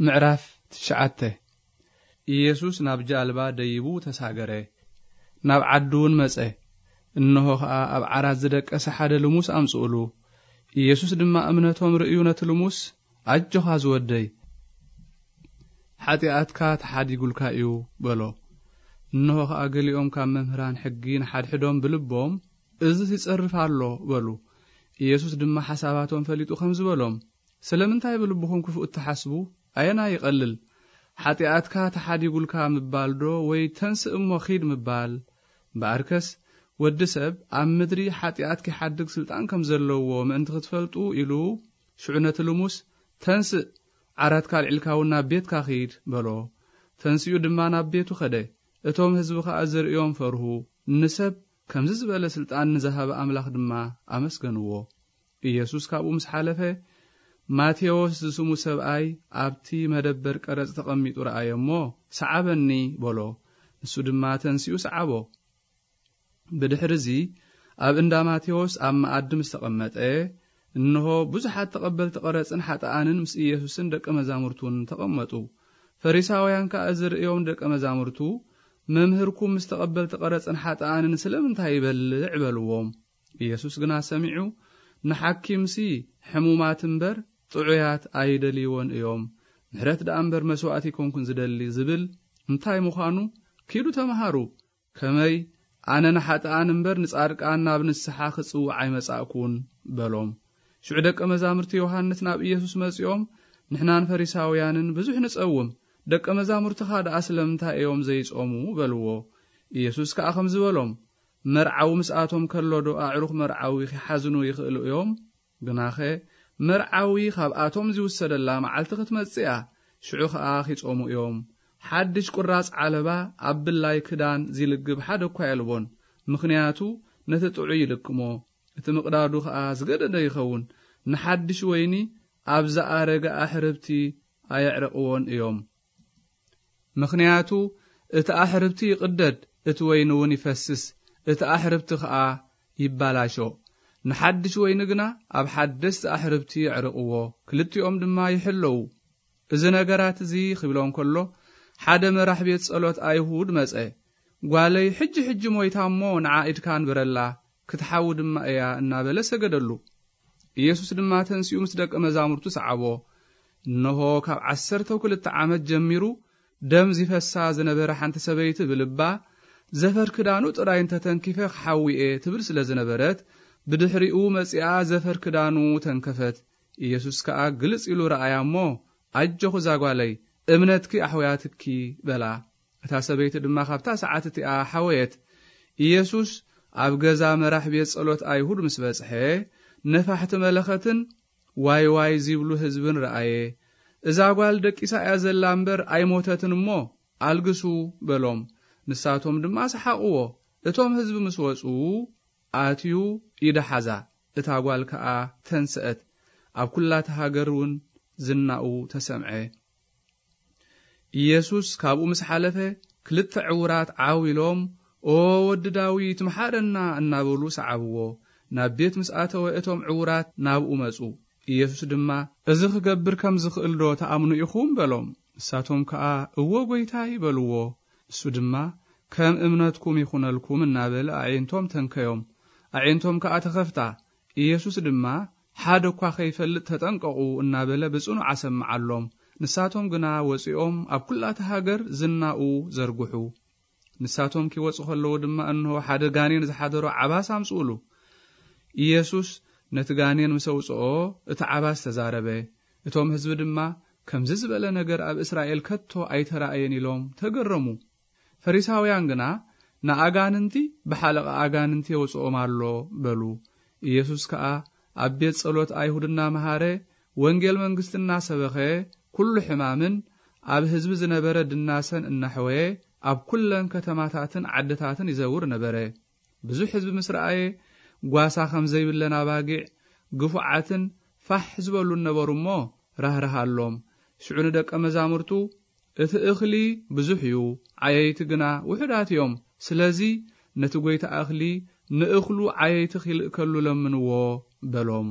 ምዕራፍ ትሽዓተ። ኢየሱስ ናብ ጃልባ ደይቡ ተሳገረ። ናብ ዓዱ እውን መጸ። እንሆ ኸኣ ኣብ ዓራት ዝደቀሰ ሓደ ልሙስ ኣምጽኡሉ። ኢየሱስ ድማ እምነቶም ርእዩ ነቲ ልሙስ፣ "ኣጆኻ ዝወደይ፣ ሓጢኣትካ ተሓዲጉልካ እዩ" በሎ። እንሆ ኸኣ ገሊኦም ካብ መምህራን ሕጊ ንሓድሕዶም ብልቦም፣ "እዝስ ይጸርፍ ኣሎ" በሉ። ኢየሱስ ድማ ሓሳባቶም ፈሊጡ ከምዚ በሎም፣ "ስለምንታይ ብልብኹም ክፉእ እትሓስቡ? ኣየናይ ይቐልል? ሓጢኣትካ ተሓዲጉልካ ምባል ዶ ወይ ተንስእ እሞ ኺድ ምባል? እምበኣርከስ ወዲ ሰብ ኣብ ምድሪ ሓጢኣት ኪሓድግ ስልጣን ከም ዘለዎ ምእንቲ ክትፈልጡ" ኢሉ፣ ሽዑ ነቲ ልሙስ፣ "ተንስእ፣ ዓራትካ ኣልዒልካ እውን ናብ ቤትካ ኺድ" በሎ። ተንሲኡ ድማ ናብ ቤቱ ኸደ። እቶም ህዝቢ ኸኣ ዝርእዮም ፈርሁ። ንሰብ ከምዚ ዝበለ ስልጣን ንዝሃበ ኣምላኽ ድማ ኣመስገንዎ። ኢየሱስ ካብኡ ምስ ሓለፈ፣ "ማቴዎስ ዝስሙ ሰብኣይ ኣብቲ መደበር ቀረጽ ተቐሚጡ ረኣየ እሞ፣ 'ሰዓበኒ' በሎ። ንሱ ድማ ተንሲኡ ሰዓቦ። ብድሕርዚ ኣብ እንዳ ማቴዎስ ኣብ መኣዲ ምስ ተቐመጠ፣ እንሆ ብዙሓት ተቐበልቲ ቀረጽን ሓጥኣንን ምስ ኢየሱስን ደቀ መዛሙርቱን ተቐመጡ። ፈሪሳውያን ከኣ ዝርእዮም ደቀ መዛሙርቱ፣ 'መምህርኩም ምስ ተቐበልቲ ቀረጽን ሓጥኣንን ስለምንታይ ይበልዕ?' በልዎም። ኢየሱስ ግና ሰሚዑ፣ "ንሓኪምሲ ሕሙማት እምበር ጥዑያት ኣይደልይዎን እዮም። ምሕረት ደኣ እምበር መስዋእቲ ኣይኮንኩን ዝደሊ" ዝብል እንታይ ምዃኑ ኪዱ ተመሃሩ። ከመይ ኣነ ንሓጥኣን እምበር ንጻድቃን ናብ ንስሓ ክጽውዕ ኣይመጻእኩን በሎም። ሽዑ ደቀ መዛሙርቲ ዮሃንስ ናብ ኢየሱስ መጺኦም፣ "ንሕናን ፈሪሳውያንን ብዙሕ ንጸውም፣ ደቀ መዛሙርትኻ ደኣ ስለምንታይ እዮም ዘይጾሙ?" በልዎ። ኢየሱስ ከኣ ከምዚ በሎም፣ "መርዓዊ ምስኣቶም ከሎ ዶ ኣዕሩኽ መርዓዊ ኺሓዝኑ ይኽእሉ እዮም? ግናኸ መርዓዊ ኻብኣቶም ዚውሰደላ መዓልቲ ክትመጽእ እያ፣ ሽዑ ኸኣ ኺጾሙ እዮም። ሓድሽ ቁራጽ ዓለባ ኣብ ብላይ ክዳን ዚልግብ ሓደ እኳ የልቦን፣ ምኽንያቱ ነቲ ጥዑይ ይልክሞ፣ እቲ ምቕዳዱ ኸኣ ዝገደደ ይኸውን። ንሓድሽ ወይኒ ኣብ ዝኣረገ ኣሕርብቲ ኣየዕርቕዎን እዮም። ምኽንያቱ እቲ ኣሕርብቲ ይቕደድ፣ እቲ ወይኒ እውን ይፈስስ፣ እቲ ኣሕርብቲ ኸኣ ይባላሾ። ንሓድሽ ወይኒ ግና ኣብ ሓደስቲ ኣሕርብቲ የዕርቕዎ፣ ክልቲኦም ድማ ይሕለዉ። እዚ ነገራት እዚ ኺብሎም ከሎ፣ ሓደ መራሕ ቤት ጸሎት ኣይሁድ መጸ። ጓለይ ሕጂ ሕጂ ሞይታ እሞ ንዓ ኢድካ ንበረላ፣ ክትሓዊ ድማ እያ እናበለ ሰገደሉ። ኢየሱስ ድማ ተንሲኡ ምስ ደቀ መዛሙርቱ ሰዓቦ። እነሆ ካብ ዓሰርተ ክልተ ዓመት ጀሚሩ ደም ዚፈሳ ዝነበረ ሓንቲ ሰበይቲ ብልባ፣ "ዘፈር ክዳኑ ጥራይ እንተ ተንኪፈ ክሓዊ እየ" ትብል ስለ ዝነበረት፣ ብድሕሪኡ መጺኣ ዘፈር ክዳኑ ተንከፈት። ኢየሱስ ከኣ ግልጽ ኢሉ ረኣያ እሞ፣ "ኣጆኺ እዛ ጓለይ፣ እምነትኪ ኣሕውያትኪ" በላ። እታ ሰበይቲ ድማ ካብታ ሰዓት እቲኣ ሓወየት። ኢየሱስ ኣብ ገዛ መራሕ ቤት ጸሎት ኣይሁድ ምስ በጽሐ፣ ነፋሕቲ መለኸትን ዋይ ዋይ ዚብሉ ህዝብን ረኣየ። "እዛ ጓል ደቂሳ እያ ዘላ እምበር ኣይሞተትን እሞ፣ ኣልግሱ" በሎም። ንሳቶም ድማ ሰሓቕዎ። እቶም ህዝቢ ምስ ወጹ፣ ኣትዩ ኢዳ ሓዛ። እታ ጓል ከኣ ተንስአት። ኣብ ኵላ እታ ሃገር እውን ዝናኡ ተሰምዐ። ኢየሱስ ካብኡ ምስ ሓለፈ፣ ክልተ ዕዉራት ዓው ኢሎም፣ "ኦ ወዲ ዳዊት፣ ምሓረና" እናበሉ ሰዓብዎ። ናብ ቤት ምስ ኣተወ፣ እቶም ዕዉራት ናብኡ መጹ። ኢየሱስ ድማ፣ "እዚ ክገብር ከም ዝኽእል ዶ ትኣምኑ ኢኹም?" በሎም። ንሳቶም ከኣ፣ "እወ፣ ጐይታይ" በልዎ። ንሱ ድማ፣ "ከም እምነትኩም ይኹነልኩም" እናበለ ኣዒንቶም ተንከዮም። ኣዒንቶም ከኣ ተኸፍታ። ኢየሱስ ድማ፣ "ሓደ እኳ ኸይፈልጥ ተጠንቀቑ" እናበለ ብጽኑዕ ኣሰምዓሎም። ንሳቶም ግና ወጺኦም ኣብ ኵላ እታ ሃገር ዝናኡ ዘርግሑ። ንሳቶም ኪወጹ ኸለዉ ድማ፣ እንሆ፣ ሓደ ጋኔን ዝሓደሮ ዓባስ ኣምጽኡሉ። ኢየሱስ ነቲ ጋኔን ምስ ኣውጽኦ፣ እቲ ዓባስ ተዛረበ። እቶም ህዝቢ ድማ፣ "ከምዚ ዝበለ ነገር ኣብ እስራኤል ከቶ ኣይተራእየን" ኢሎም ተገረሙ። ፈሪሳውያን ግና፣ "ንኣጋንንቲ ብሓለቓ ኣጋንንቲ የውጽኦም ኣሎ" በሉ። ኢየሱስ ከኣ ኣብ ቤት ጸሎት ኣይሁድ እናመሃረ፣ ወንጌል መንግስቲ እናሰበኸ፣ ኩሉ ሕማምን ኣብ ህዝቢ ዝነበረ ድናሰን እናሐወየ፣ ኣብ ኩለን ከተማታትን ዓድታትን ይዘውር ነበረ። ብዙሕ ህዝቢ ምስ ረኣየ፣ ጓሳ ከም ዘይብለን ኣባጊዕ፣ ግፉዓትን ፋሕ ዝበሉን ነበሩ እሞ፣ ራህራሃሎም። ሽዑ ንደቀ መዛሙርቱ፣ "እቲ እኽሊ ብዙሕ እዩ፣ ዓየይቲ ግና ውሑዳት እዮም። ስለዚ ነቲ ጐይታ እኽሊ ንእኽሉ ዓየይቲ ኺልእከሉ ለምንዎ" በሎም።